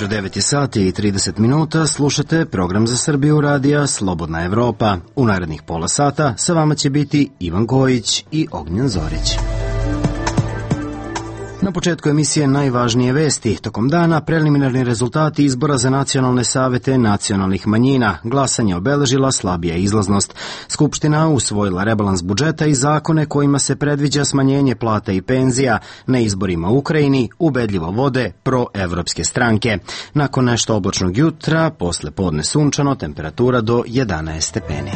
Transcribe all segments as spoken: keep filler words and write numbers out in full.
ujutro devet sati i trideset minuta, slušate program za Srbiju radija Slobodna Evropa. U narednih pola sata sa vama će biti Ivan Kojić i Ognjen Zorić. Na početku emisije najvažnije vesti. Tokom dana preliminarni rezultati izbora za nacionalne savete nacionalnih manjina. Glasanje obeležila slabija izlaznost. Skupština usvojila rebalans budžeta i zakone kojima se predviđa smanjenje plata i penzija. Na izborima u Ukrajini ubedljivo vode proevropske stranke. Nakon nešto oblačnog jutra, posle podne sunčano, temperatura do jedanaest stepeni.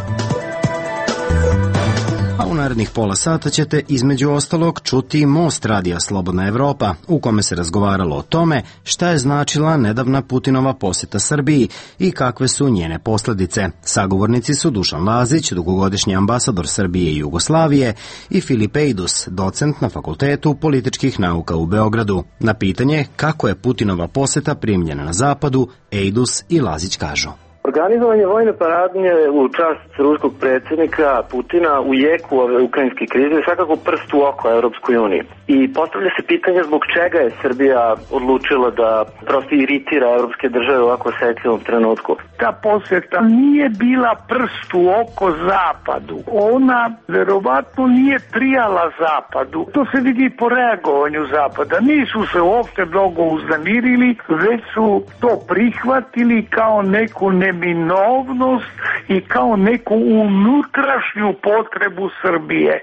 U narednih pola sata ćete između ostalog čuti Most radija Slobodna Evropa, u kome se razgovaralo o tome šta je značila nedavna Putinova poseta Srbiji i kakve su njene posledice. Sagovornici su Dušan Lazić, dugogodišnji ambasador Srbije i Jugoslavije, i Filip Ejdus, docent na Fakultetu političkih nauka u Beogradu. Na pitanje kako je Putinova poseta primljena na zapadu, Ejdus i Lazić kažu: Organizovanje vojne paradnje u čast ruskog predsjednika Putina u jeku ove ukrajinske krize je svakako prst u oko Europskoj uniji. I postavlja se pitanje zbog čega je Srbija odlučila da prosto iritira evropske države u ovako osjetljivom trenutku. Ta posjeta nije bila prst u oko Zapadu. Ona verovatno nije prijala Zapadu. To se vidi po reagovanju Zapada. Nisu se uopšte mnogo uznemirili, već su to prihvatili kao neku neminovnost i kao neku unutrašnju potrebu Srbije.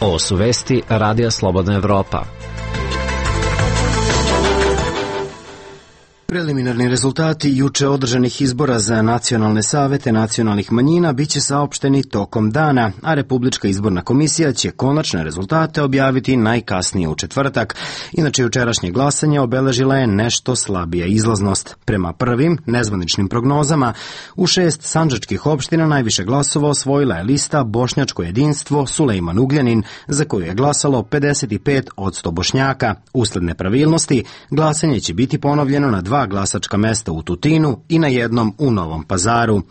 Ovo su vesti Radija Slobodna Evropa. Preliminarni rezultati juče održanih izbora za nacionalne savete nacionalnih manjina biće saopšteni tokom dana, a Republička izborna komisija će konačne rezultate objaviti najkasnije u četvrtak. Inače, jučerašnje glasanje obeležila je nešto slabija izlaznost. Prema prvim nezvaničnim prognozama, u šest sandžačkih opština najviše glasova osvojila je lista Bošnjačko jedinstvo Sulejman Ugljanin, za koju je glasalo pedeset pet posto Bošnjaka. Usled nepravilnosti, glasanje će biti ponovljeno na dva glasačka mesta u Tutinu i na jednom u Novom Pazaru.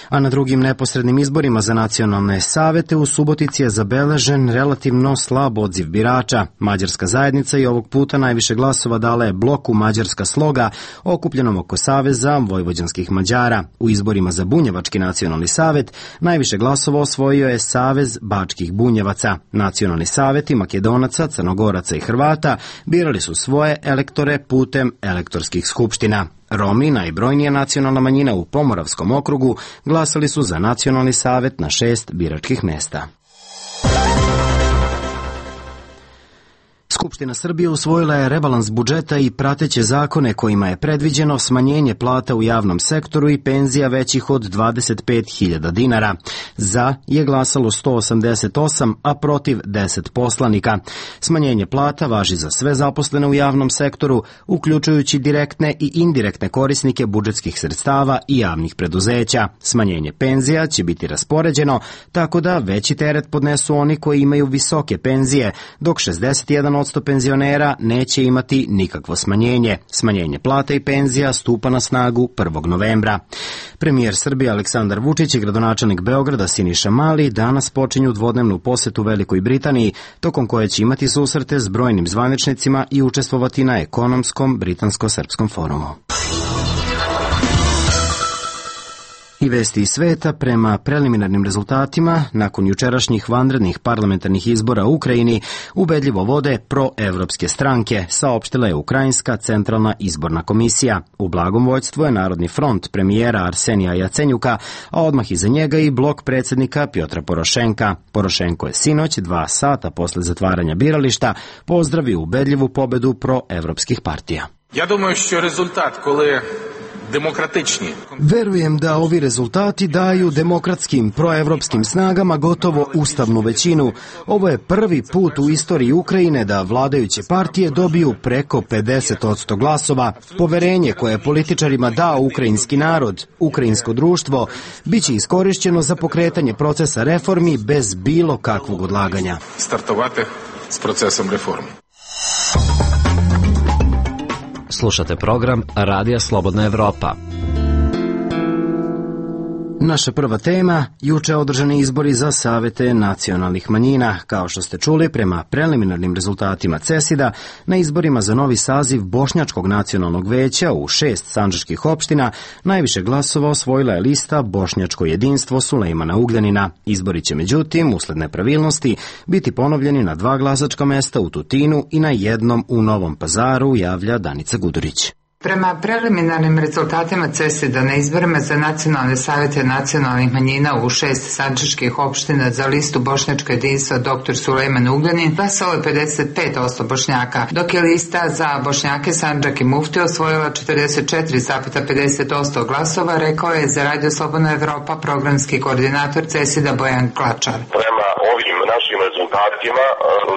A na drugim neposrednim izborima za nacionalne savete u Subotici je zabeležen relativno slab odziv birača. Mađarska zajednica i ovog puta najviše glasova dala je bloku Mađarska sloga, okupljenom oko Saveza vojvođanskih Mađara. U izborima za Bunjevački nacionalni savet najviše glasova osvojio je Savez bačkih bunjevaca. Nacionalni saveti Makedonaca, Crnogoraca i Hrvata birali su svoje elektore putem elektorskih skupština. Romi, najbrojnija nacionalna manjina u Pomoravskom okrugu, glasali su za nacionalni savet na šest biračkih mesta. Skupština Srbije usvojila je rebalans budžeta i prateće zakone kojima je predviđeno smanjenje plata u javnom sektoru i penzija većih od dvadeset pet hiljada dinara. Za je glasalo sto osamdeset osam, a protiv deset poslanika. Smanjenje plata važi za sve zaposlene u javnom sektoru, uključujući direktne i indirektne korisnike budžetskih sredstava i javnih preduzeća. Smanjenje penzija će biti raspoređeno tako da veći teret podnesu oni koji imaju visoke penzije, dok šezdeset jedan posto penzionera neće imati nikakvo smanjenje. Smanjenje plata i penzija stupa na snagu prvog novembra. Premijer Srbije Aleksandar Vučić i gradonačelnik Beograda Siniša Mali danas počinju dvodnevnu posetu Velikoj Britaniji, tokom koje će imati susrete s brojnim zvaničnicima i učestvovati na ekonomskom britansko-srpskom forumu. I vesti iz sveta. Prema preliminarnim rezultatima, nakon jučerašnjih vanrednih parlamentarnih izbora u Ukrajini, ubedljivo vode proevropske stranke, saopštila je Ukrajinska centralna izborna komisija. U blagom vođstvu je Narodni front premijera Arsenija Jacenjuka, a odmah iza njega i blok predsjednika Pjotra Porošenka. Porošenko je sinoć, dva sata posle zatvaranja birališta, pozdravio ubedljivu pobedu proevropskih partija. Ja думаю, що результат, коли demokratični. Verujem da ovi rezultati daju demokratskim proevropskim snagama gotovo ustavnu većinu. Ovo je prvi put u istoriji Ukrajine da vladajuće partije dobiju preko pedeset posto glasova. Poverenje koje je političarima dao ukrajinski narod, ukrajinsko društvo, biće iskorišćeno za pokretanje procesa reformi bez bilo kakvog odlaganja. Startovati s procesom reformi. Slušate program Radija Slobodna Evropa. Naša prva tema, juče održani izbori za savete nacionalnih manjina. Kao što ste čuli, prema preliminarnim rezultatima CESID-a, na izborima za novi saziv Bošnjačkog nacionalnog veća u šest sandžačkih opština najviše glasova osvojila je lista Bošnjačko jedinstvo Sulejmana Ugljanina. Izbori će međutim, usled nepravilnosti, biti ponovljeni na dva glasačka mesta u Tutinu i na jednom u Novom Pazaru, javlja Danica Gudurić. Prema preliminarnim rezultatima CESID-a na izborima za nacionalne savete nacionalnih manjina u šest sandžačkih opština za listu Bošnjačko jedinstvo doktor Sulejman Ugljanin glasalo je pedeset pet posto Bošnjaka, dok je lista za Bošnjake Sandžak i Mufti osvojila četrdeset četiri zarez pedeset posto glasova, rekao je za Radio Slobodna Evropa programski koordinator CESID-a Bojan Klačar. Prema ovim našim rezultatima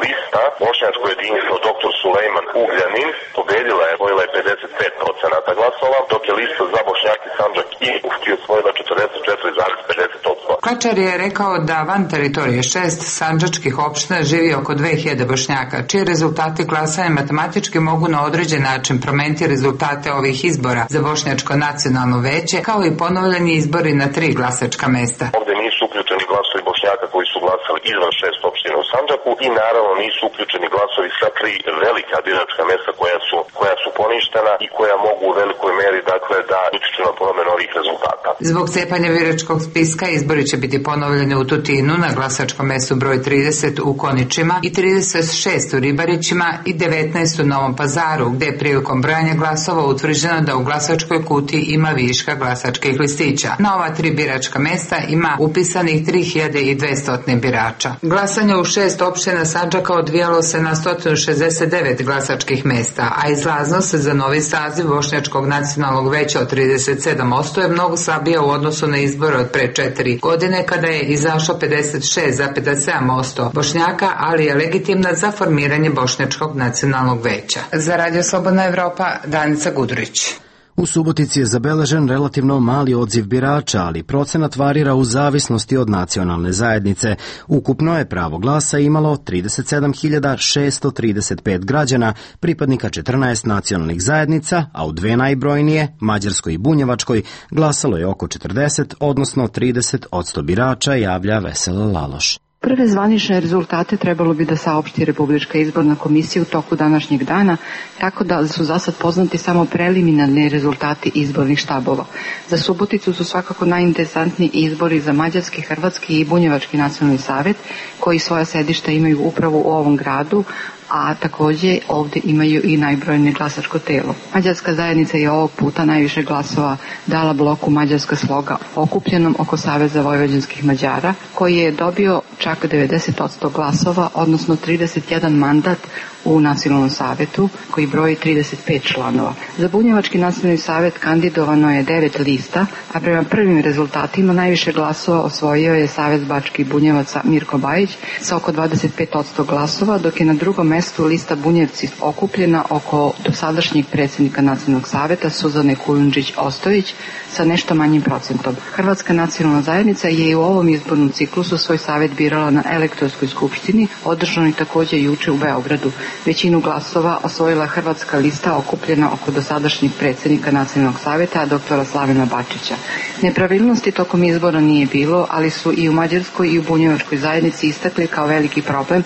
lista Bošnjačko jedinstvo doktor Sulejman Ugljanin pobedila je, osvojila je pedeset pet procenata glasova, dok je lista za Bošnjake Sandžak i Mufti osvojila četrdeset četiri zarez pedeset posto. Klačar je rekao da van teritorije šest sandžačkih opština živi oko dve hiljade Bošnjaka, čiji rezultati glasanja matematički mogu na određen način promeniti rezultate ovih izbora za Bošnjačko nacionalno veće, kao i ponovljeni izbori na tri glasačka mesta. Ovde nisu uključeni glasovi Bošnjaka koji su glasali izvan šest opština u Sandžaku i naravno nisu uključeni glasovi sa tri velika biračka mesta koja su, koja su poništena i koja mogu u velikoj meri dakle da utiču na promenu ovih rezultata. Zbog cepanja biračkog spiska izbori će biti ponovljeni u Tutinu na glasačkom mestu broj trideset u Koničima i trideset šest u Ribarićima i devetnaest u Novom Pazaru, gde je prilikom brojanja glasova utvrđeno da u glasačkoj kutiji ima viška glasačkih listića. Na ova tri biračka mesta ima upisanih tri hiljade dvesta birača. Glasanje u šest opština Sandžaka odvijalo se na sto šezdeset devet glasačkih mesta, a izlaznost za novi saziv Bošnjačkog nacionalnog veća od trideset sedam posto je mnogo slabija u odnosu na izbore od pre četiri godine, kada je izašlo pedeset šest zarez sedam posto Bošnjaka, ali je legitimna za formiranje Bošnjačkog nacionalnog veća. Za Radio Slobodna Evropa, Danica Gudurić. U Subotici je zabeležen relativno mali odziv birača, ali procenat varira u zavisnosti od nacionalne zajednice. Ukupno je pravo glasa imalo trideset sedam hiljada šesto trideset pet građana, pripadnika četrnaest nacionalnih zajednica, a u dve najbrojnije, Mađarskoj i Bunjevačkoj, glasalo je oko četrdeset, odnosno trideset posto birača, javlja Vesela Laloš. Prve zvanične rezultate trebalo bi da saopšti Republička izborna komisija u toku današnjeg dana, tako da su zasad poznati samo preliminarni rezultati izbornih štabova. Za Suboticu su svakako najinteresantniji izbori za Mađarski, Hrvatski i Bunjevački nacionalni savet, koji svoja sedišta imaju upravo u ovom gradu, a takođe ovde imaju i najbrojnije glasačko telo. Mađarska zajednica je ovog puta najviše glasova dala bloku Mađarska sloga, okupljenom oko Saveza vojvođanskih Mađara, koji je dobio čak devedeset posto glasova, odnosno trideset jedan mandat u nacionalnom savetu, koji broji trideset pet članova. Za Bunjevački nacionalni savet kandidovano je devet lista, a prema prvim rezultatima najviše glasova osvojio je Savez Bačkih Bunjevaca Mirko Bajić sa oko dvadeset pet posto glasova, dok je na drugom mestu lista Bunjevci okupljena oko dosadašnjeg predsjednika nacionalnog saveta Suzane Kujundžić-Ostojić sa nešto manjim procentom. Hrvatska nacionalna zajednica je i u ovom izbornom ciklusu svoj savet birala na elektronskoj skupštini, održanoj takođe juče u Beogradu. Većinu glasova osvojila hrvatska lista okupljena oko dosadašnjeg predsjednika nacionalnog saveta, doktora Slavena Bačića. Nepravilnosti tokom izbora nije bilo, ali su i u Mađarskoj i u Bunjevačkoj zajednici istakli kao veliki problem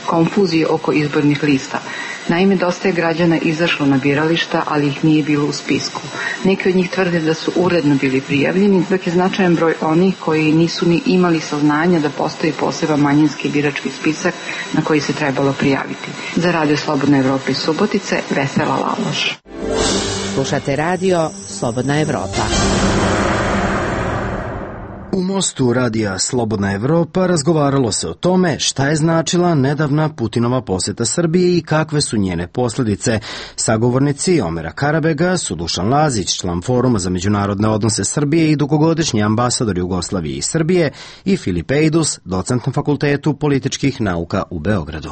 konfuzije oko izbornih lista. Naime, dosta je građana izašlo na birališta, ali ih nije bilo u spisku. Neki od njih tvrde da su uredno bili prijavljeni, dok je značajan broj onih koji nisu ni imali saznanja da postoji poseban manjinski birački spisak na koji se trebalo prijaviti. Za Radio Slobodna Evropa iz Subotice, Vesela Laloš. Slušate Radio Slobodna Evropa. U Mostu radija Slobodna Evropa razgovaralo se o tome šta je značila nedavna Putinova poseta Srbiji i kakve su njene posljedice. Sagovornici Omera Karabega su Dušan Lazić, član Foruma za međunarodne odnose Srbije i dugogodišnji ambasador Jugoslavije i Srbije, i Filip Ejdus, docent na Fakultetu političkih nauka u Beogradu.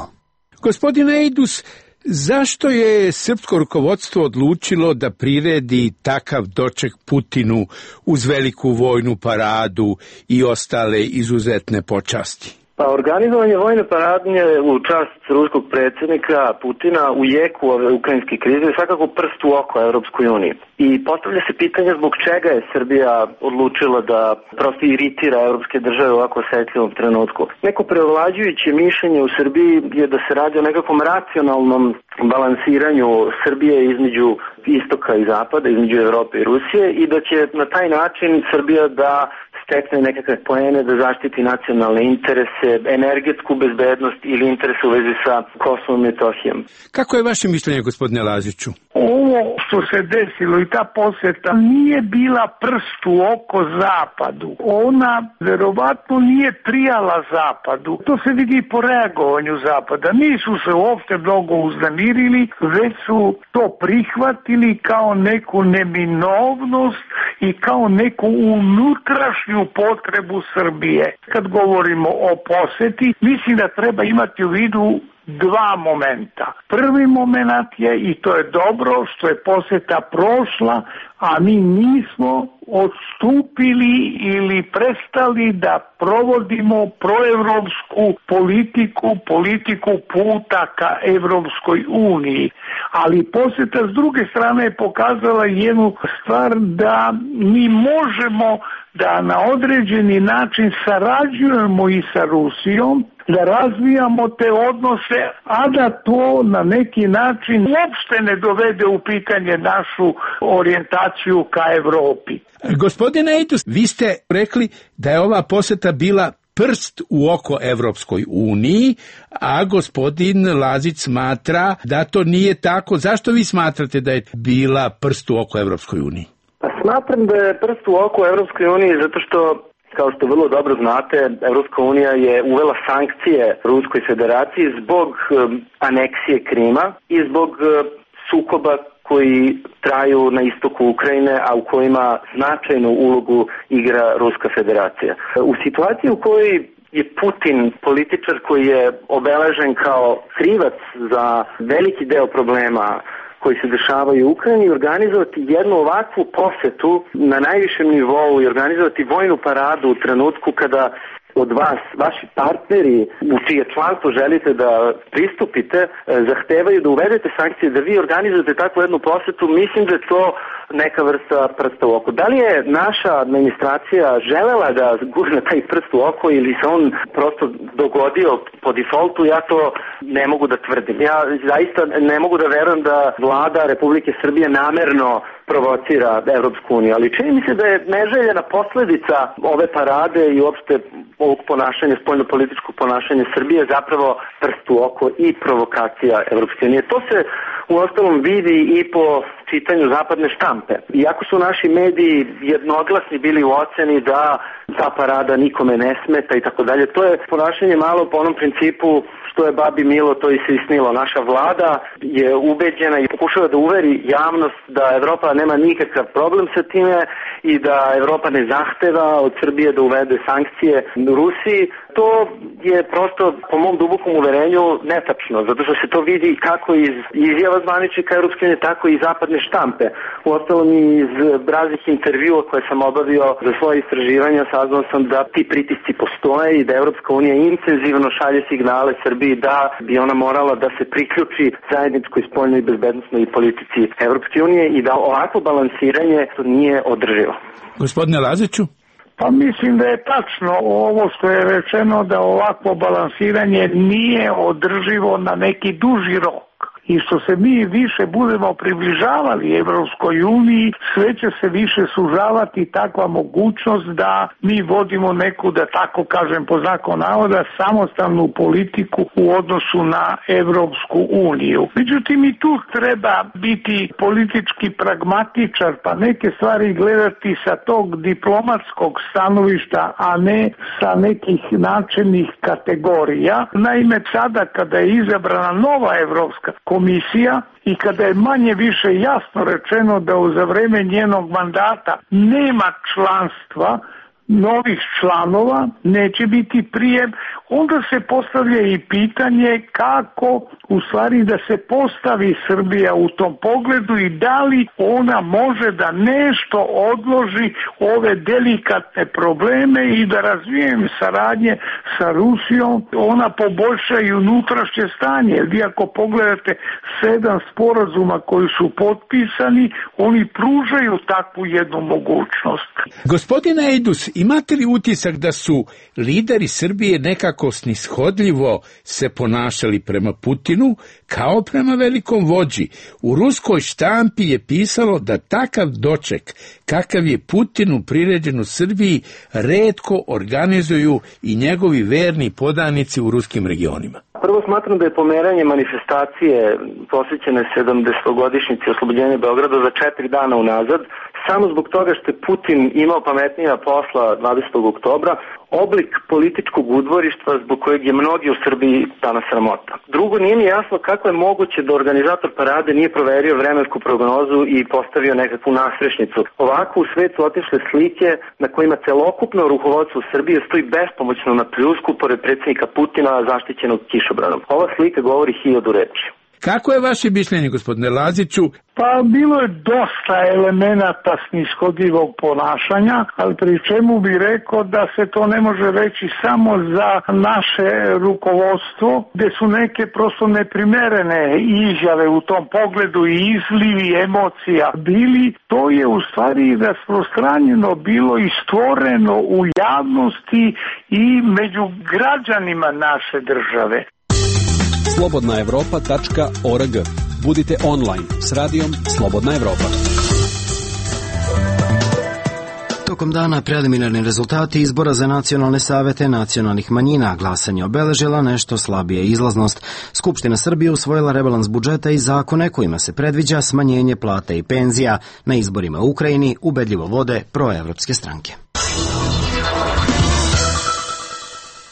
Gospodine Ejdus, zašto je srpsko rukovodstvo odlučilo da priredi takav doček Putinu uz veliku vojnu paradu i ostale izuzetne počasti? Pa organizovanje vojne paradnje u čast ruskog predsjednika Putina u jeku ove ukrajinske krize je svakako prst u oko Evropskoj uniji. I postavlja se pitanje zbog čega je Srbija odlučila da prosto iritira evropske države u ovako osjetljivom trenutku. Neko prevlađujuće mišljenje u Srbiji je da se radi o nekakvom racionalnom balansiranju Srbije između istoka i zapada, između Evrope i Rusije i da će na taj način Srbija da stekne nekakve poene, da zaštiti nacionalne interese, energetsku bezbednost ili interese u vezi sa Kosovom i Metohijom. Kako je vaše mišljenje, gospodine Laziću? Ovo što se desilo i ta posjeta nije bila prst u oko Zapadu. Ona verovatno nije prijala Zapadu. To se vidi po reagovanju Zapada. Nisu se uopšte mnogo uznemirili, već su to prihvatili kao neku neminovnost i kao neku unutrašnju potrebu Srbije. Kad govorimo o posjeti, mislim da treba imati u vidu dva momenta. Prvi moment je, i to je dobro, što je posjeta prošla, a mi nismo odstupili ili prestali da provodimo proevropsku politiku, politiku puta ka Evropskoj uniji. Ali posjeta s druge strane je pokazala jednu stvar da mi možemo da na određeni način sarađujemo i sa Rusijom, da razvijamo te odnose, a da to na neki način uopšte ne dovede u pitanje našu orijentaciju ka Evropi. Gospodine Eidos, vi ste rekli da je ova posjeta bila prst u oko Evropskoj uniji, a gospodin Lazić smatra da to nije tako. Zašto vi smatrate da je bila prst u oko Evropskoj uniji? Pa smatram da je prst u oko Evropskoj uniji zato što, kao što vrlo dobro znate, Evropska unija je uvela sankcije Ruskoj federaciji zbog um, aneksije Krima i zbog uh, sukoba koji traju na istoku Ukrajine, a u kojima značajnu ulogu igra Ruska federacija. U situaciji u kojoj je Putin političar koji je obeležen kao krivac za veliki deo problema koji se dešavaju u Ukrajini, organizovati jednu ovakvu posetu na najvišem nivou i organizovati vojnu paradu u trenutku kada od vas, vaši partneri u čije članstvo želite da pristupite, zahtevaju da uvedete sankcije, da vi organizujete takvu jednu posetu, mislim da je to neka vrsta prsta u oko. Da li je naša administracija želela da gurne taj prst u oko ili se on prosto dogodio po defaultu, ja to ne mogu da tvrdim. Ja zaista ne mogu da verujem da vlada Republike Srbije namerno provocira Evropsku uniju, ali čini mi se da je neželjena posledica ove parade i uopšte ovog ponašanja, spoljno-političkog ponašanja Srbije zapravo prst u oko i provokacija Evropske unije. To se u ostalom vidi i po čitanju zapadne štampe. Iako su naši mediji jednoglasni bili u oceni da ta parada nikome ne smeta i tako dalje, to je ponašanje malo po onom principu što je babi milo, to i se isnilo. Naša vlada je ubeđena i pokušava da uveri javnost da Evropa nema nikakav problem sa time i da Evropa ne zahteva od Srbije da uvede sankcije Rusiji. To je prosto, po mom dubokom uverenju, netačno, zato što se to vidi kako iz izjava zvaničnika Evropske unije, tako i zapadne štampe. Uostalom i iz raznih intervjua koje sam obavio za svoje istraživanja, saznao sam da ti pritisci postoje i da Evropska unija intenzivno šalje signale Srbiji da bi ona morala da se priključi zajedničkoj spoljnoj i bezbednosnoj politici Evropske unije i da ovako balansiranje nije održivo. Gospodine Laziću? Pa mislim da je tačno ovo što je rečeno, da ovakvo balansiranje nije održivo na neki duži rok. I što se mi više budemo približavali Evropskoj uniji, sve će se više sužavati takva mogućnost da mi vodimo neku, da tako kažem po znaku navoda, samostalnu politiku u odnosu na Evropsku uniju. Međutim, i tu treba biti politički pragmatičar, pa neke stvari gledati sa tog diplomatskog stanovišta, a ne sa nekih načelnih kategorija. Naime, sada kada je izabrana nova Evropska komisija i kada je manje više jasno rečeno da za vreme njenog mandata nema članstva novih članova, neće biti prijem, onda se postavlja i pitanje kako u stvari da se postavi Srbija u tom pogledu i da li ona može da nešto odloži ove delikatne probleme i da razvijem saradnje sa Rusijom, ona poboljša i unutrašnje stanje. Jer vi ako pogledate sedam sporazuma koji su potpisani, oni pružaju takvu jednu mogućnost. Gospodine Ejdus, imate li utisak da su lideri Srbije nekako snishodljivo se ponašali prema Putinu kao prema velikom vođi? U ruskoj štampi je pisalo da takav doček kakav je Putinu priređen u Srbiji retko organizuju i njegovi verni podanici u ruskim regionima. Prvo smatram da je pomeranje manifestacije posvećene sedamdesetogodišnjici oslobođenja Beograda za četiri dana unazad, samo zbog toga što je Putin imao pametnija posla dvadesetog oktobra, oblik političkog udvorištva zbog kojeg je mnogi u Srbiji danas sramota. Drugo, nije mi jasno kako je moguće da organizator parade nije proverio vremensku prognozu i postavio nekakvu nasrešnicu. Ovako u svetu otišle slike na kojima celokupno rukovodstvo Srbije stoji bespomoćno na pljusku pored predsjednika Putina zaštićenog kišobranom. Ova slika govori hiljadu reči. Kako je vaše mišljenje, gospodine Laziću? Pa bilo je dosta elemenata snishodljivog ponašanja, ali pri čemu bi rekao da se to ne može reći samo za naše rukovodstvo, gde su neke prosto neprimerene izjave u tom pogledu i izlivi emocija bili. To je u stvari rasprostranjeno bilo i stvoreno u javnosti i među građanima naše države. slobodna evropa tačka org. Budite online s radijom Slobodna Evropa. Tokom dana preliminarni rezultati izbora za nacionalne savete nacionalnih manjina. Glasanje obeležila nešto slabije izlaznost. Skupština Srbije usvojila rebalans budžeta i zakone kojima se predviđa smanjenje plata i penzija. Na izborima u Ukrajini ubedljivo vode proevropske stranke.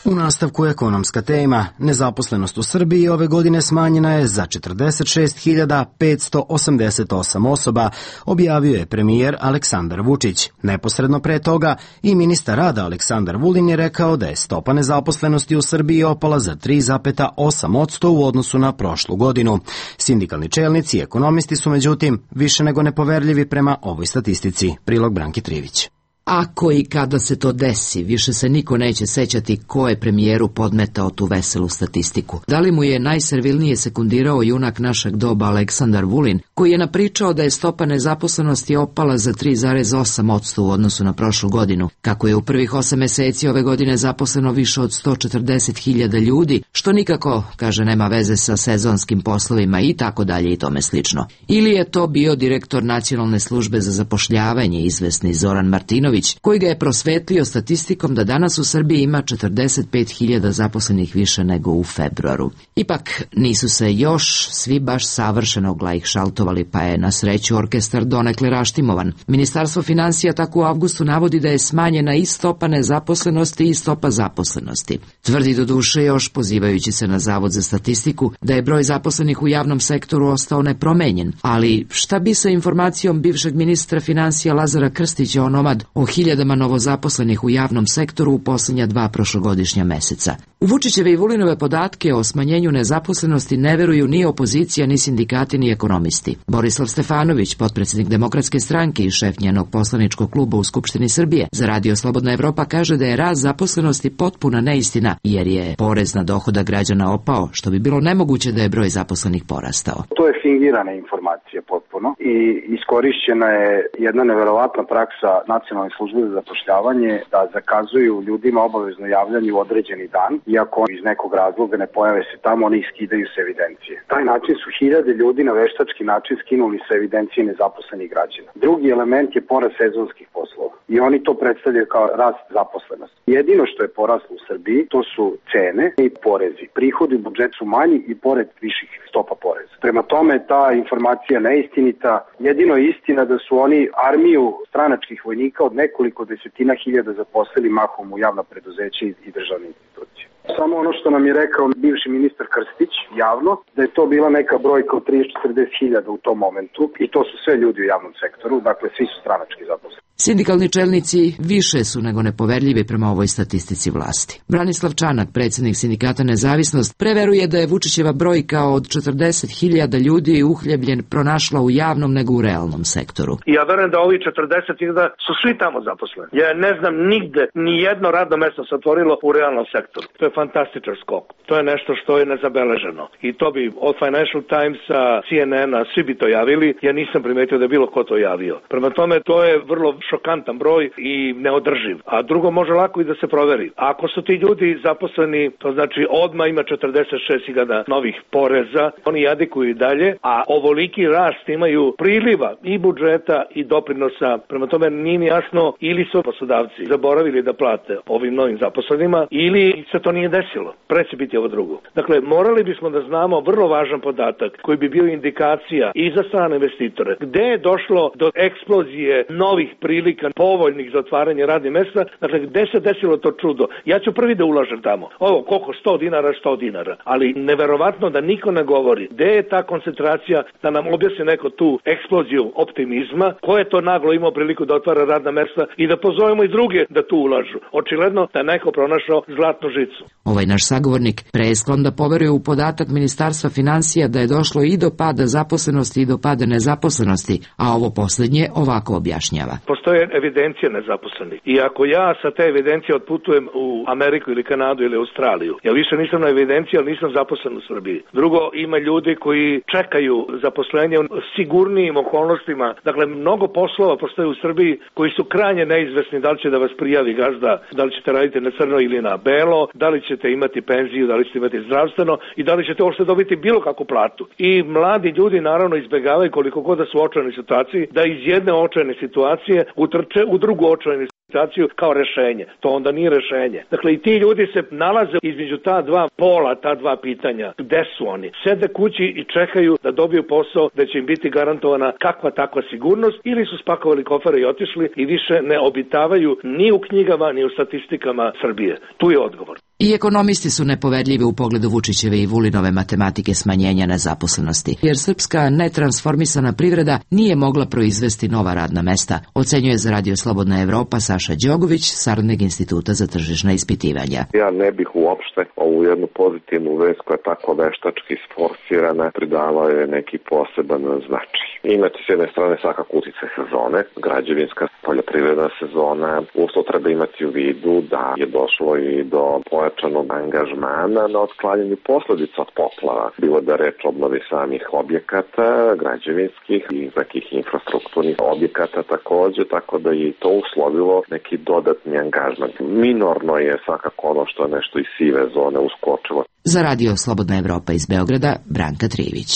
U nastavku ekonomska tema. Nezaposlenost u Srbiji ove godine smanjena je za četrdeset šest hiljada petsto osamdeset osam osoba, objavio je premijer Aleksandar Vučić. Neposredno pre toga i ministar rada Aleksandar Vulin je rekao da je stopa nezaposlenosti u Srbiji opala za tri zarez osam posto u odnosu na prošlu godinu. Sindikalni čelnici i ekonomisti su međutim više nego nepoverljivi prema ovoj statistici. Prilog Branki Trivić. Ako i kada se to desi, više se niko neće sećati ko je premijeru podmetao tu veselu statistiku. Da li mu je najservilnije sekundirao junak našeg doba Aleksandar Vulin, koji je napričao da je stopa nezaposlenosti opala za tri zarez osam posto u odnosu na prošlu godinu, kako je u prvih osam meseci ove godine zaposleno više od sto četrdeset hiljada ljudi, što nikako, kaže, nema veze sa sezonskim poslovima i tako dalje i tome slično. Ili je to bio direktor Nacionalne službe za zapošljavanje, izvesni Zoran Martinović, koji ga je prosvetlio statistikom da danas u Srbiji ima četrdeset pet hiljada zaposlenih više nego u februaru. Ipak nisu se još svi baš savršeno glajšaltovali, pa je na sreću orkestar donekle raštimovan. Ministarstvo finansija tako u avgustu navodi da je smanjena i stopa nezaposlenosti i stopa zaposlenosti. Tvrdi do duše još, pozivajući se na Zavod za statistiku, da je broj zaposlenih u javnom sektoru ostao nepromenjen. Ali šta bi sa informacijom bivšeg ministra finansija Lazara Krstića onomad o hiljadama novozaposlenih u javnom sektoru u posljednja dva prošlogodišnja meseca? U Vučićeve i Vulinove podatke o smanjenju nezaposlenosti ne veruju ni opozicija, ni sindikati, ni ekonomisti. Borislav Stefanović, potpredsjednik Demokratske stranke i šef njenog poslaničkog kluba u Skupštini Srbije, za Radio Slobodna Evropa kaže da je rast zaposlenosti potpuna neistina, jer je porez na dohodak građana opao, što bi bilo nemoguće da je broj zaposlenih porastao. To je fingirana informacija potpuno i iskorišćena je jedna neverovatna praksa Nacionalne službe za zapošljavanje da zakazuju ljudima obavezno javljanje u određeni dan, iako iz nekog razloga ne pojave se tamo, oni iskidaju se evidencije. Taj način su hiljade ljudi na veštački način skinuli sa evidencije nezaposlenih građana. Drugi element je porast sezonskih poslova i oni to predstavljaju kao rast zaposlenosti. Jedino što je poraslo u Srbiji to su cene i porezi. Prihodi u budžetu su manji i pored viših stopa poreza. Prema tome ta informacija neistinita. Jedino je istina da su oni armiju stranačkih vojnika od nekoliko desetina hiljada zaposlili mahom u javna preduzeća i državne institucije. Samo ono što nam je rekao bivši ministar Krstić javno, da je to bila neka brojka od trideset do četrdeset hiljada u tom momentu i to su sve ljudi u javnom sektoru, dakle svi su stranački zaposleni. Sindikalni čelnici više su nego nepoverljivi prema ovoj statistici vlasti. Branislav Čanak, predsjednik sindikata Nezavisnost, preveruje da je Vučićeva brojka od četrdeset hiljada ljudi uhljebljen pronašla u javnom nego u realnom sektoru. Ja verujem da ovi četrdeset hiljada su svi tamo zaposleni. Ja ne znam nigde ni jedno radno mesto se otvorilo u realnom sektoru. To je fantastičan skok. To je nešto što je nezabeleženo. I to bi od Financial Timesa, C N N-a, svi bi to javili. Ja nisam primetio da je bilo ko to javio. Prema tome, to je vrlo šokantan broj i neodrživ. A drugo, može lako i da se proveri. Ako su ti ljudi zaposleni, to znači odmah ima četrdeset šest hiljada novih poreza, oni jadikuju i dalje, a ovoliki rast imaju priliva i budžeta i doprinosa. Prema tome, nije mi jasno ili su poslodavci zaboravili da plate ovim novim zaposlenima ili se to nije desilo. Pre će biti ovo drugo. Dakle, morali bismo da znamo vrlo važan podatak koji bi bio indikacija i za strane investitore. Gde je došlo do eksplozije novih prilika povoljnih za otvaranje radnih mesta, dakle, gde se desilo to čudo? Ja ću prvi da ulažem tamo. Ovo, koliko? sto dinara, sto dinara. Ali neverovatno da niko ne govori. Gde je ta koncentracija, da nam objasni neko tu eksploziju optimizma, ko je to naglo imao priliku da otvara radna mesta i da pozovemo i druge da tu ulažu. Očigledno da neko pronašao zlatnu žicu. Ovaj naš sagovornik pre je sklon da poveruje u podatak Ministarstva financija da je došlo i do pada zaposlenosti i do pada nezaposlenosti, a ovo poslednje ovako objašnjava. Postoje evidencije nezaposlenih i ako ja sa te evidencije otputujem u Ameriku ili Kanadu ili Australiju, ja više nisam na evidenciji, ali nisam zaposlen u Srbiji. Drugo, ima ljudi koji čekaju zaposlenje u sigurnijim okolnostima. Dakle, mnogo poslova postoje u Srbiji koji su krajnje neizvesni, da li će da vas prijavi gazda, da li ćete raditi na crno ili na belo, da li ćete imati penziju, da li ćete imati zdravstveno i da li ćete uopšte dobiti bilo kakvu platu. I mladi ljudi naravno izbegavaju koliko god da su u očajnoj situaciji, da iz jedne očajne situacije utrče u drugu očajnu situaciju kao rešenje. To onda nije rešenje. Dakle, i ti ljudi se nalaze između ta dva pola, ta dva pitanja. Gde su oni? Sede kući i čekaju da dobiju posao, da će im biti garantovana kakva takva sigurnost, ili su spakovali kofere i otišli i više ne obitavaju ni u knjigama, ni u statistikama Srbije. Tu je odgovor. I ekonomisti su nepoverljivi u pogledu Vučićeve i Vulinove matematike smanjenja nezaposlenosti, jer srpska netransformisana privreda nije mogla proizvesti nova radna mesta, ocenjuje za Radio Slobodna Evropa Saša Đogović, saradnik Instituta za tržišna ispitivanja. Ja ne bih uopšte ovu jednu pozitivnu vest koja je tako veštački sforsirana pridavao je neki poseban značaj. Imate s jedne strane svakako utice sezone, građevinska poljoprivredna sezona, usto treba imati u vidu da je došlo i do pojačanog angažmana na otklanjanju posledica od poplava. Bilo da reč obnovi samih objekata, građevinskih i nekih infrastrukturnih objekata takođe, tako da je to uslovilo neki dodatni angažman. Minorno je svakako ono što je nešto iz sive zone uskočilo. Za Radio Slobodna Evropa iz Beograda, Branka Trivić.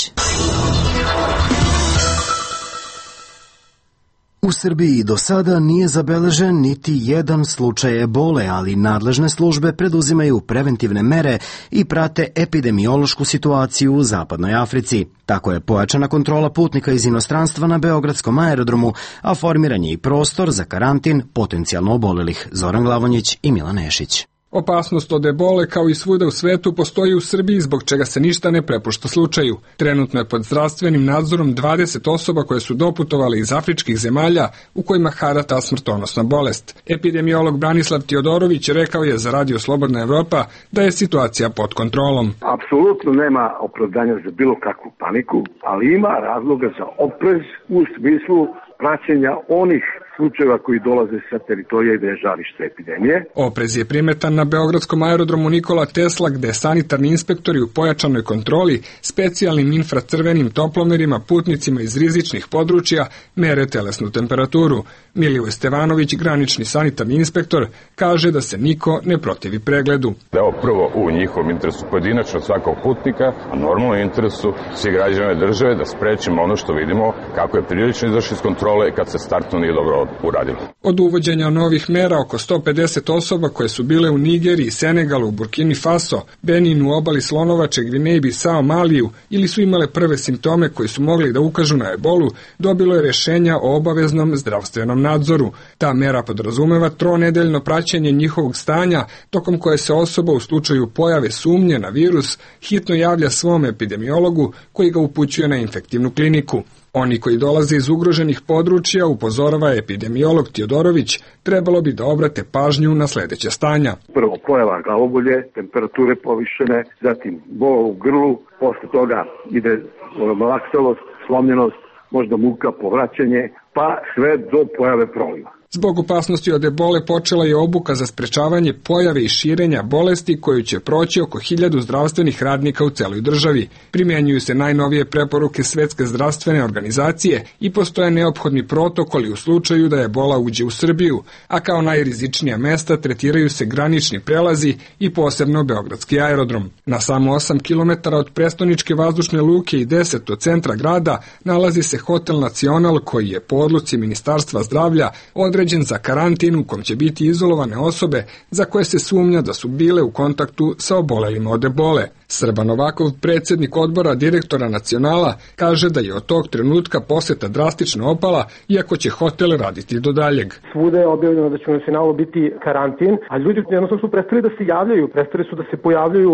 U Srbiji do sada nije zabeležen niti jedan slučaj ebole, ali nadležne službe preduzimaju preventivne mere i prate epidemiološku situaciju u zapadnoj Africi. Tako je pojačana kontrola putnika iz inostranstva na beogradskom aerodromu, a formiran je i prostor za karantin potencijalno obolelih. Zoran Glavonjić i Milan Nešić. Opasnost od ebole kao i svuda u svetu postoji u Srbiji, zbog čega se ništa ne prepušta slučaju. Trenutno je pod zdravstvenim nadzorom dvadeset osoba koje su doputovale iz afričkih zemalja u kojima hara ta smrtonosna bolest. Epidemiolog Branislav Tiodorović rekao je za Radio Slobodna Evropa da je situacija pod kontrolom. Apsolutno nema opravdanja za bilo kakvu paniku, ali ima razloga za oprez u smislu praćenja onih slučajeva koji dolaze sa teritorija gde je žarište epidemije. Oprez je primetan na beogradskom aerodromu Nikola Tesla, gde sanitarni inspektori u pojačanoj kontroli specijalnim infracrvenim toplomerima putnicima iz rizičnih područja mere telesnu temperaturu. Milivoj Stevanović, granični sanitarni inspektor, kaže da se niko ne protivi pregledu. Da je ovo prvo u njihovom interesu pojedinačno svakog putnika, a normalno interesu svih građana države da sprečimo ono što vidimo kako je prilično izašli iz kontrole kad se startno nije dobro uradilo. Od uvođenja novih mera oko sto pedeset osoba koje su bile u Nigeriji, Senegalu, Burkini Faso, Beninu, obali Slonovače, Gvineji, Bisao, Maliju ili su imale prve simptome koji su mogli da ukažu na ebolu, dobilo je rešenja o obaveznom zdravstvenom nadzoru. Ta mera podrazumeva tronedeljno praćenje njihovog stanja, tokom koje se osoba u slučaju pojave sumnje na virus hitno javlja svom epidemiologu koji ga upućuje na infektivnu kliniku. Oni koji dolaze iz ugroženih područja, upozorava epidemiolog Tijodorović, trebalo bi da obrate pažnju na sledeće stanja. Prvo pojava glavobolje, temperature povišene, zatim bola u grlu, posle toga ide malaksalost, slomljenost, možda muka, povraćanje, pa sve do pojave proliva. Zbog opasnosti od ebole počela je obuka za sprečavanje pojave i širenja bolesti koju će proći oko hiljadu zdravstvenih radnika u celoj državi. Primenjuju se najnovije preporuke Svetske zdravstvene organizacije i postoje neophodni protokoli u slučaju da ebola uđe u Srbiju, a kao najrizičnija mesta tretiraju se granični prelazi i posebno beogradski aerodrom. Na samo osam kilometara od prestoničke vazdušne luke i deset od centra grada nalazi se Hotel Nacional koji je po odluci Ministarstva zdravlja određen za karantin u kom će biti izolovane osobe za koje se sumnja da su bile u kontaktu sa obolelima od ebole. Srba Novakov, predsjednik odbora direktora Nacionala, kaže da je od tog trenutka poseta drastično opala, iako će hotel raditi do daljeg. Svuda je objavljeno da će u Nacionalu biti karantin, a ljudi jednostavno su prestali da se javljaju, prestali su da se pojavljaju.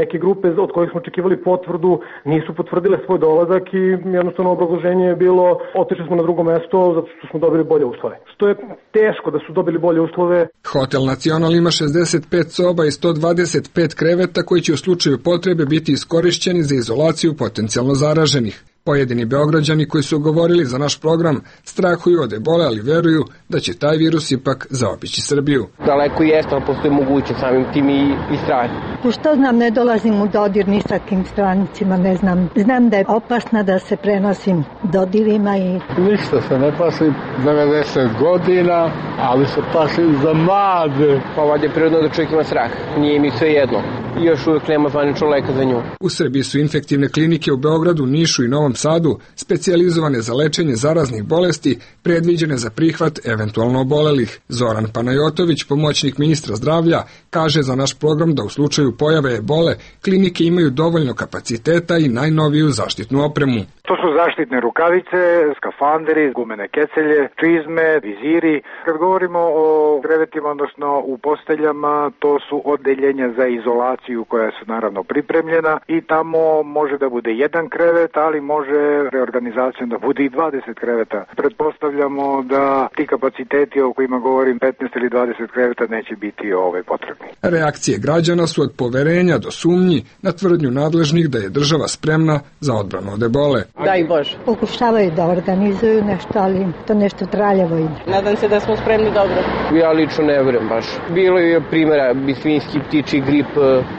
Neke grupe od kojih smo očekivali potvrdu nisu potvrdile svoj dolazak i jednostavno obrazloženje je bilo otišli smo na drugo mesto zato što smo dobili bolje uslove. Što je teško da su dobili bolje uslove. Hotel Nacional ima šezdeset pet soba i sto dvadeset pet kreveta koji će u slučaju potrebe biti iskorišćeni za izolaciju potencijalno zaraženih. Pojedini Beograđani koji su govorili za naš program strahuju od ebole, ali veruju da će taj virus ipak zaobići Srbiju. Daleko jeste, ali postoji moguće samim tim i, i strah. Što znam, ne dolazim u dodir ni sa kim stranicima, ne znam. Znam da je opasna da se prenosim dodirima i... Ništa se ne plašim, devedeset godina, ali se plašim za mlade. Pa ovdje je prirodno da čovjek ima strah, nije mi sve jedno. I još uvijek nema zvaničnog leka za nju. U Srbiji su infektivne klinike u Beogradu, Nišu i Novom Sadu specijalizovane za lečenje zaraznih bolesti, predviđene za prihvat eventualno obolelih. Zoran Panajotović, pomoćnik ministra zdravlja, kaže za naš program da u slučaju pojave ebole klinike imaju dovoljno kapaciteta i najnoviju zaštitnu opremu. To su zaštitne rukavice, skafanderi, gumene kecelje, čizme, viziri. Kad govorimo o krevetima, odnosno u posteljama, to su odeljenja za izolaciju koja su naravno pripremljena i tamo može da bude jedan krevet, ali može reorganizacijom da bude i dvadeset kreveta. Pretpostavljamo da ti kapaciteti o kojima govorim petnaest ili dvadeset kreveta neće biti ove potrebni. Reakcije građana su od poverenja do sumnji na tvrdnju nadležnih da je država spremna za odbranu od ebole. Daj Bože. Pokušavaju da organizuju nešto, ali to nešto traljavo ide. Nadam se da smo spremni dobro. Ja lično ne vjerujem baš. Bilo je primjera svinjski ptiči grip,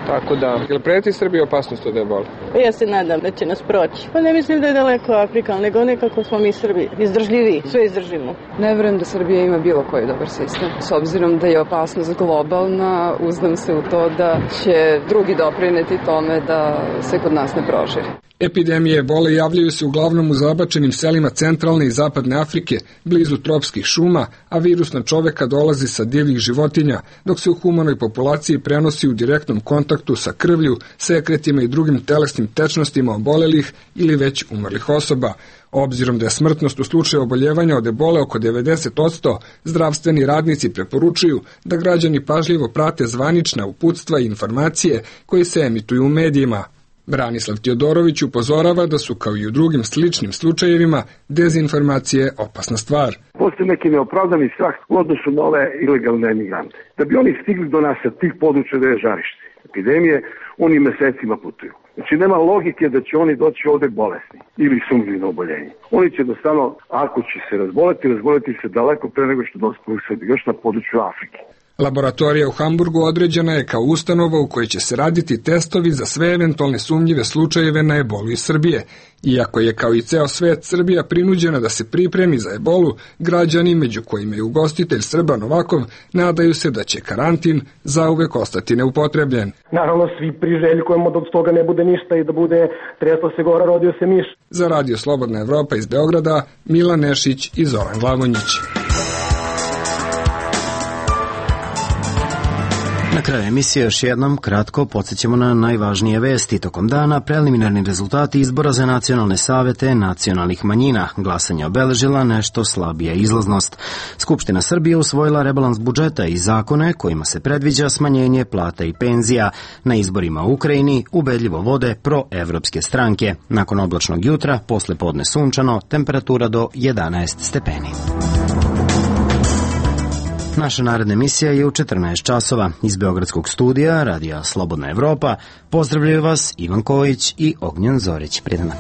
tako da. Jel preti Srbiji opasnost od ebole? Ja se nadam da će nas proći. Pa ne mislim da je daleko Afrika, ali nego nekako smo mi Srbi izdržljivi, sve izdržimo. Ne vjerujem da Srbija ima bilo koji dobar sistem. S obzirom da je opasnost globalna, uzdam se u to da će drugi doprineti tome da se kod nas ne proširi. Epidemije ebole javljaju se uglavnom u zabačenim selima centralne i zapadne Afrike, blizu tropskih šuma, a virus na čoveka dolazi sa divljih životinja, dok se u humanoj populaciji prenosi u direktnom kontaktu sa krvlju, sekretima i drugim telesnim tečnostima obolelih ili već umrlih osoba. Obzirom da je smrtnost u slučaju oboljevanja od ebole oko devedeset posto, zdravstveni radnici preporučuju da građani pažljivo prate zvanična uputstva i informacije koje se emituju u medijima. Branislav Tijodorović upozorava da su, kao i u drugim sličnim slučajevima, dezinformacije opasna stvar. Postoji neki neopravdani strah u odnosu na ove ilegalne emigrante. Da bi oni stigli do nas sa tih područja da je žarište epidemije, oni mesecima putuju. Znači nema logike da će oni doći ovde bolesni ili sumnjivi na oboljenje. Oni će jednostavno, ako će se razboleti, razboleti se daleko pre nego što dospiju u Srbiju, još na području Afrike. Laboratorija u Hamburgu određena je kao ustanova u kojoj će se raditi testovi za sve eventualne sumnjive slučajeve na ebolu iz Srbije. Iako je kao i ceo svet Srbija prinuđena da se pripremi za ebolu, građani, među kojima je ugostitelj Srba Novakov, nadaju se da će karantin zauvek ostati neupotrebljen. Naravno, svi priželjkujemo da od toga ne bude ništa i da bude tresla se gora, rodio se miš. Za Radio Slobodna Evropa iz Beograda, Milan Nešić i Zoran Glavonjić. Na kraju emisije još jednom kratko podsjećamo na najvažnije vesti. Tokom dana preliminarni rezultati izbora za nacionalne savete nacionalnih manjina. Glasanje obeležila nešto slabija izlaznost. Skupština Srbije usvojila rebalans budžeta i zakone kojima se predviđa smanjenje plata i penzija. Na izborima u Ukrajini ubedljivo vode proevropske stranke. Nakon oblačnog jutra, posle podne sunčano, temperatura do jedanaest stepeni. Naša naredna emisija je u četrnaest časova. Iz Beogradskog studija Radija Slobodna Evropa pozdravljaju vas Ivan Kojić i Ognjen Zorić. Prijatno.